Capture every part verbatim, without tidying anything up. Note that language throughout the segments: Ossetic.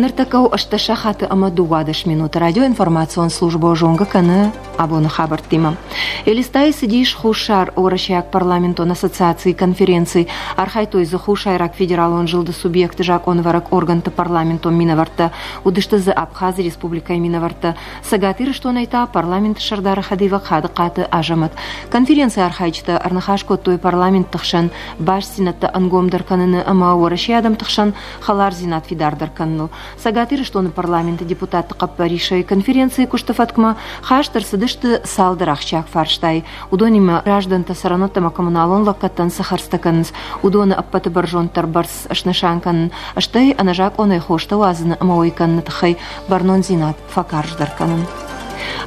Ныртӕккӕ у ӕстдӕс сахаты ӕмӕ дыууадӕс минуты. Радиоинформацион службӕ зонгӕ кӕны абоны хабӕрттимӕ. Элистайы цыдис Хуссар Уӕрӕсейаг парламентон ассоциацийы конференци. Архайдтой дзы Хуссайраг федералон зылды субъекты закъонӕвӕрӕг органты парламентон минӕвӕрттӕ. Уыдысты дзы Абхазы республикӕйы минӕвӕрттӕ. Цӕгат Ирыстонӕй та парламенты сӕрдары хӕдивӕг Хадыхъаты Азӕмӕт. Конференцийы архайджытӕ ӕрныхас кодтой парламентты хсӕн бастдзинӕдтӕ ӕнгомдӕр кӕныны ӕмӕ Уӕрӕсейы адӕмты хсӕн хӕлардзинад фидардӕр кӕныныл. Цӕгат Ирыстоны парламенты депутатты хъӕппӕрисӕй конференцийы куысты фӕткмӕ хаст ӕрцыдысты цалдӕр ахсджиаг фарстайы. Уыдонимӕ граждӕнтӕ цӕрӕнуӕттӕ ӕмӕ коммуналон лӕггӕдтӕн цы хӕрдзтӕ кӕнынц, уыдоны ӕппӕты бӕрзонддӕр бӕрц снысан кӕнын, стӕй ӕнӕзакъонӕй хостӕ уадзыны ӕмӕ уӕй кӕныны тыххӕй бӕрнондзинад фӕкарздӕр кӕнын.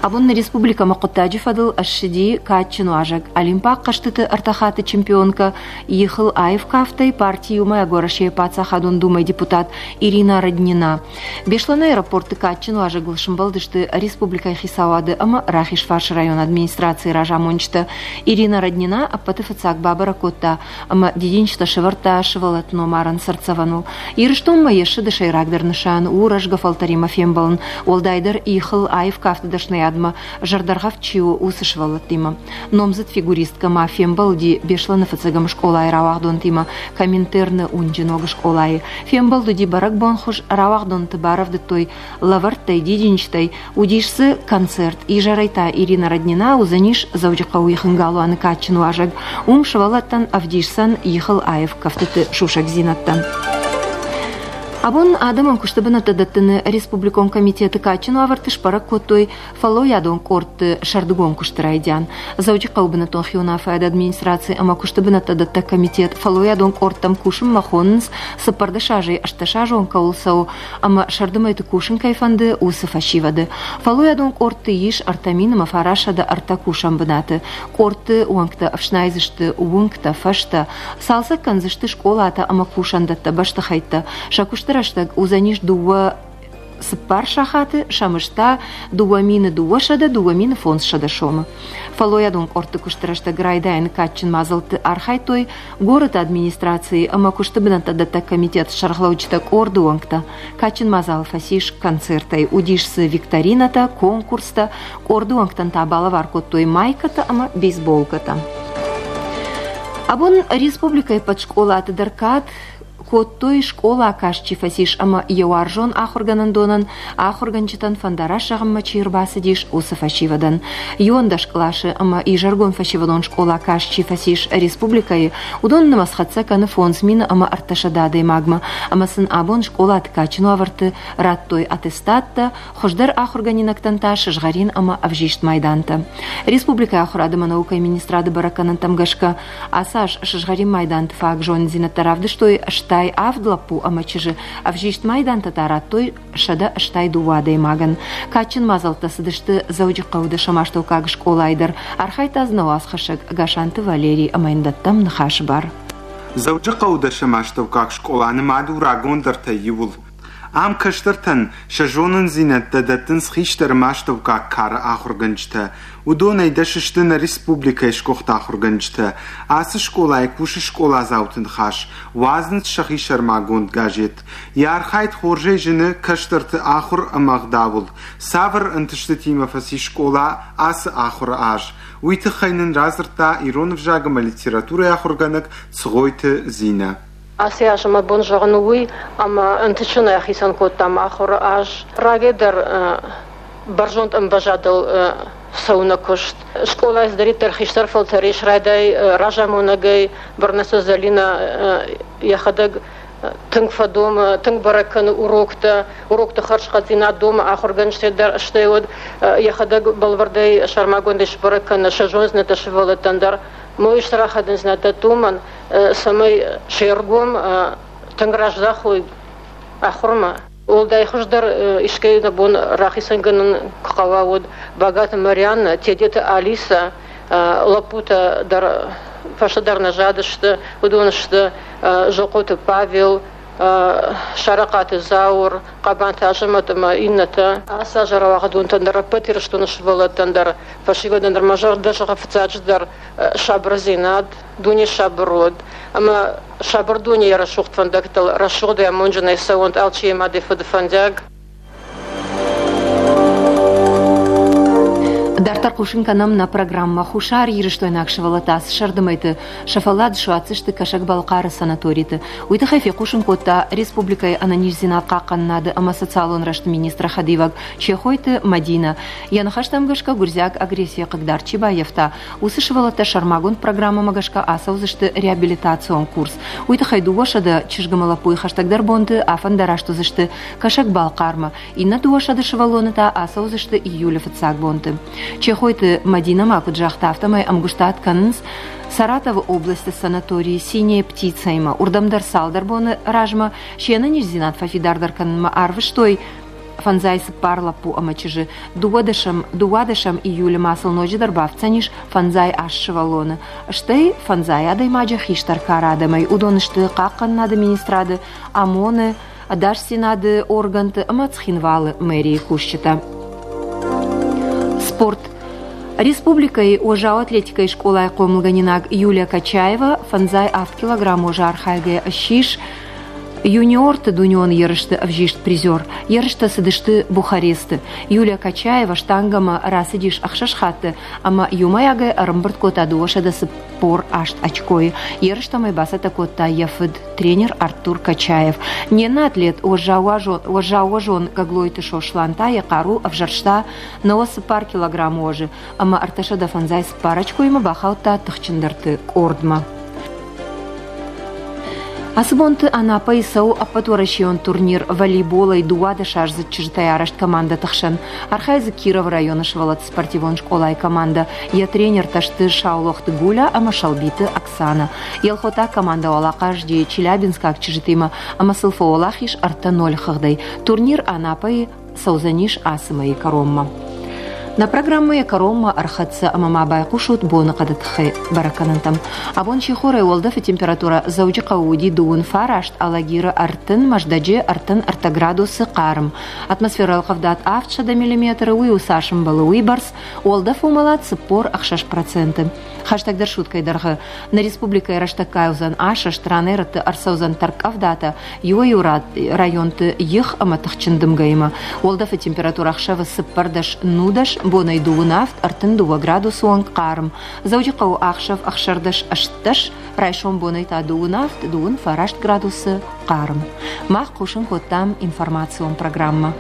Абон нӕ республикӕмӕ хъуыддаджы фӕдыл ссыди кадджын уазӕг, Олимпаг хъӕзтыты ӕртӕ хатты чемпионкӕ, ихыл аив кафтӕй парти Иумӕйаг Уӕрӕсейы Паддзахадон Думӕйы депутат Ирина Роднина. Беслӕны аэропорты кадджын уазӕгыл сымбӕлдысты республикӕйы хицауады ӕмӕ Рахизфарсы районы администрацийы разамонджытӕ. Ирина Роднина ӕппӕты фыццаг бабӕрӕг кодта ӕмӕ дидинджытӕ сӕвӕрдта сывӕллӕтты номарӕн цыртдзӕвӕныл. Ирыстонмӕ йе ссыды сӕйрагдӕр нысан у рӕзгӕ фӕлтӕримӕ фембӕлын, уӕлдайдӕр ихыл аив кафты дӕсныйадмӕ зӕрдӕргъӕвд чи у, уыцы сывӕллӕттимӕ. Номдзыд фигуристкӕ ма фембӕлди Беслӕны фыццӕгӕм скъолайы рауагъдонтимӕ Коминтерны уынджы ног скъолайы. Фембӕлд уыди бӕрӕгбонхуыз, рауагъдонты барӕвдыдтой лӕвӕрттӕй, дидинджытӕй, уыдис дзы концерт. Изӕрӕй та Ирина Роднина уыдзӕнис Дзӕуджыхъӕуы ихын галуаны кадджын уазӕг. Уым сывӕллӕттӕн ӕвдисдзӕн ихыл аив кӕфтыты сусӕгдзинӕдтӕ. Абон адӕмон куысты бынӕттӕ дӕттыны республикон комитеты кадджын уавӕрты сбӕрӕг кодтой фӕллойадон къордты сӕрдыгон куысты райдиан. Дзӕуджыхъӕуы бынӕттон хиуынаффӕйады администраци ӕмӕ куысты бынӕттӕ дӕттӕг комитет фӕллойадон къордтӕм кусынмӕ хонынц, цыппӕрдӕс азӕй ӕстдӕсазон кӕуыл цӕуы ӕмӕ сӕрды мӕйты кусын кӕй фӕнды, уыцы фӕсивӕды. Фӕллойадон къордты ис ӕртӕ мин ӕмӕ фарастсӕдӕ ӕртӕ кусӕн бынаты. Къордты уӕнгтӕ ӕфснайдзысты уынгтӕ, фӕзтӕ, цалцӕг кӕндзысты скъолатӕ ӕмӕ кусӕндӕттӕ, бӕстыхӕйттӕ. Сӕ куысты рӕстӕг уыдзӕнис дыууӕ цыппар сахаты, сӕ мызд та дыууӕ мины дыууӕсӕдӕ дыууӕ мины фондзсӕдӕ сомы. Фӕллойадон къордты куысты рӕстӕг райдайӕны кадджын мадзӕлтты архайдтой горӕты администрацийы ӕмӕ куысты бынӕттӕ дӕттӕг комитеты сӕргълӕуджытӕ къорды уӕнгтӕ. Кадджын мадзал фӕцис концертӕй. Уыдис дзы викторинӕтӕ, конкурстӕ, къорды уӕнгтӕн та балӕвар кодтой майкӕтӕ ӕмӕ бейсболкӕтӕ. Абон республикӕйы ӕппӕт скъолаты дӕр кад кодтой, скъола каст чи фӕцис ӕмӕ йӕ уарзон ахуыргӕнӕндонӕн, ахуыргӕнджытӕн фӕндараст зӕгъынмӕ чи ӕрбацыдис, уыцы фӕсивӕдӕн. Иуӕндӕс къласы ӕмӕ изӕргон фӕсивӕдон скъола каст чи фӕцис республикӕйы, уыдон нымӕц хӕццӕ кӕны фондз мины ӕмӕ ӕртӕсӕдӕ адӕймагмӕ, ӕмӕ сын абон скъолаты кадджын уавӕрты радтой аттестаттӕ, хуыздӕр ахуыргӕнинӕгтӕн та сызгъӕрин ӕмӕ ӕвзист майдантӕ. Республикӕйы ахуырад ӕмӕ наукӕйы министрады бӕрӕггӕнӕнтӕм гӕсгӕ, ацы аз сызгъӕрин майданты фаг зонындзинӕдтӕ равдыстой стай авд лӕппу ӕмӕ чызджы, ӕвзист майдантӕ та радтой сӕдӕ стай дыууӕ адӕймагӕн. Кадджын мадзӕлттӕ цыдысты Дзӕуджыхъӕуы дӕсӕм астӕуккаг скъолайы дӕр. Архайдта дзы нӕ уацхӕссӕг Гасанты Валерий ӕмӕ йын дӕттӕм ныхасы бар. Дзӕуджыхъӕуы дӕсӕм астӕуккаг скъола нымад у рагондӕртӕй иуыл. Ам кӕстӕртӕн сӕ зонындзинӕдтӕ дӕттынц хистӕр ӕмӕ астӕуккаг кары ахуыргӕнджытӕ. Уыдонӕй дӕс сты нӕ республикӕйы сгуыхт ахуыргӕнджытӕ. Ацы скъолайы кусы скъоладзауты ныхас, уадзынц сӕхи сӕрмагонд газет. Йӕ архайд хорзӕй зыны кӕстӕрты ахуыр ӕмӕ ӕгъдауыл. Цавӕр ӕнтыстытимӕ фӕцис скъола ацы ахуыры аз, уый тыххӕй нын радзырдта ирон ӕвзаг ӕмӕ литературӕйы ахуыргӕнӕг Цгъойты Зинӕ. Ацы аз мӕ бон зӕгъын у уый, ӕмӕ ӕнтыстджынӕй ахицӕн кодтам ахуыры аз. Рагӕй дӕр бӕрзонд ӕмвӕзадыл цӕуы нӕ куыст. Скъолайы цыдӕриддӕр хистӕр фӕлтӕр ис, райдай разамонӕгӕй Бӕрнӕсы Зӕлинӕ йӕхӕдӕг тынг фӕдомы, тынг бӕрӕг кӕны уроктӕ, урокты хӕрзхъӕддзинад домы ахуыргӕнджытӕ дӕр, стӕй уӕд йӕхӕдӕг бӕлвырдӕй сӕрмагондӕй сбӕрӕг кӕны сӕ зонддзинӕдтӕ сывӕллӕттӕн дӕр. Мой стыр ахадындзинад дӕтты уымӕн, цӕмӕй се ргом тынг раздахой ахуырмӕ. Уӕлдай хуыздӕр искӕй нӕ бон рахицӕнгӕнӕн куы хъӕуа, уӕд Багаты Марианна, Тедеты Алиса, лӕппутӕ дӕр фӕстӕдӕр нӕ задысты, уыдон сты Зохъоты Павел, Сарахъаты Зауыр, Хъабанты Азӕмӕт ӕмӕ иннӕтӕ. Ацы азы рауагъдонтӕн дӕр, ӕппӕт Ирыстоны сывӕллӕттӕн дӕр, фӕсивӕдӕн дӕр мӕ зӕрдӕ зӕгъы фыццаджыдӕр сабырдзинад, дуне сабыр уӕд ӕмӕ сабыр дунейы рӕсугъд фӕндӕгтыл рӕсугъдӕй амондджынӕй цӕуӕнт алчи йӕ мады фыды фӕндиаг. Дарддӕр хъусын кӕнӕм нӕ программӕ Хуссар Ирыстойнаг сывӕллӕттӕ ацы сӕрдымӕйты сӕ фӕллад суадздзысты Кӕсӕг-Балхъары санаториты. Уый тыххӕй фехъусын кодта республикӕйы ӕнӕниздзинад хъахъхъӕнынады ӕмӕ социалон рӕзты министры хӕдивӕг Чехойты Мадинӕ. Йӕ ныхӕстӕм гӕсгӕ гуырдзиаг агрессийӕ хъыгдард чи баййӕфта, уыцы сывӕллӕттӕ сӕрмагонд программӕмӕ гӕсгӕ ацӕудзысты реабилитацион курс. Уый тыххӕй дыууӕсӕдӕ чызг ӕмӕ лӕппуйы хӕстӕгдӕр бонты афӕндараст уыдзысты Кӕсӕг-Балхъармӕ, иннӕ дыууӕсӕдӕ сывӕллоны та ацӕудзысты июлы фыццаг бонты. Чехойты Мадинӕ ма куыд загъта, афтӕмӕй ӕмгуыстад кӕнынц Саратовы областы санаторийы «Синяя птица»-имӕ. Уырдӕм дӕр цалдӕр боны размӕ се нӕниздзинад фӕфидардӕр кӕнынмӕ арвыстой фӕндзай цыппар лӕппу ӕмӕ чызджы. Дыууадӕсӕм, дыууадӕсӕм июлы ма сыл ноджыдӕр бафтдзӕнис фӕндзай аст сывӕллоны. Стӕй фӕндзай адӕймаджы хистӕр кары адӕмӕй. Уыдон сты Хъахъхъӕнынады министрады, ОМОН-ы, ӕдасдзинады органты ӕмӕ Цхинвалы мэрийы кусджытӕ. Спорт. Республикӕйы уӕззау атлетикӕйы скъолайы хъомылгӕнинаг Юлия Качаева фӕндзай авд килограмм уӕзы архайгӕйӕ ссис юниорты дунеон ерысты ӕвзист призер. Ерыстӕ цыдысты Бухаресты. Юлия Качаева штангӕмӕ рацыдис ӕхсӕз хатты ӕмӕ иумӕйагӕй ӕрӕмбырд кодта дыууӕсӕдӕ цыппор аст очкойы. Ерыстӕм ӕй бацӕттӕ кодта йӕ фыд, тренер Артур Качаев. Не ннӕ атлет уӕззаууӕзон Гаглойты Сослан та йӕ хъару ӕвзӕрста науӕдз цыппар килограммы уӕзы ӕмӕ ӕртӕсӕдӕ фӕндзай цыппар очкоимӕ бахаудта тыхджындӕрты къордмӕ. Ацы бонты Анапӕйы цӕуы ӕппӕтуӕрӕсейон турнир волейболӕй дыууадӕсаздзыд чызджытӕй арӕзт командӕты хсӕн. Архайы дзы Кировы районы сывӕллӕтты спортивон скъолайы командӕ. Йӕ тренертӕ сты Саулохты Гуля ӕмӕ Шалбиты Оксана. Елхотаг командӕ уӕлахъазди челябинскаг чызджытимӕ ӕмӕ сыл фӕуӕлахиз ӕртӕ ноль хыгъдӕй. Турнир Анапӕйы цӕудзӕнис ацы мӕйы кӕронмӕ. Нӕ программӕйы кӕронмӕ ӕрхӕццӕ ӕмӕ ма байхъусут боныхъӕды тыххӕй бӕрӕггӕнӕнтӕм. Абон сихорӕй уӕлдӕфы температурӕ Дзӕуджыхъӕуы уыди дыууын фараст, Алагиры ӕртын, Мӕздӕджы ӕртын ӕртӕ градусы хъарм. Атмосферӕйы ӕлхъывдад авдсӕдӕ миллиметры, уый у цас ӕмбӕлы, уыйбӕрц, уӕлдӕф уымӕлад цыппор ӕхсӕз проценты. Хӕстӕгдӕр суткӕйы дӕргъы нӕ республикӕйы рӕстӕггай уыдзӕн асӕст, ранӕй-рӕтты ӕрцӕудзӕн тӕрккъӕвдатӕ, иуӕй-иу районты их ӕмӕ тыхджын дымгӕимӕ. Уӕлдӕфы температурӕ ӕхсӕвы цыппӕрдӕс нудӕс, бонӕй дыууын авд ӕртын дыууӕ градусы онг хъарм. Дзӕуджыхъӕуы ӕхсӕв ӕхсӕрдӕс ӕстдӕс, райсом бонӕй та дыууын авд дыууын фараст градусы хъарм. Мах хъусын кодтам информацион программӕ.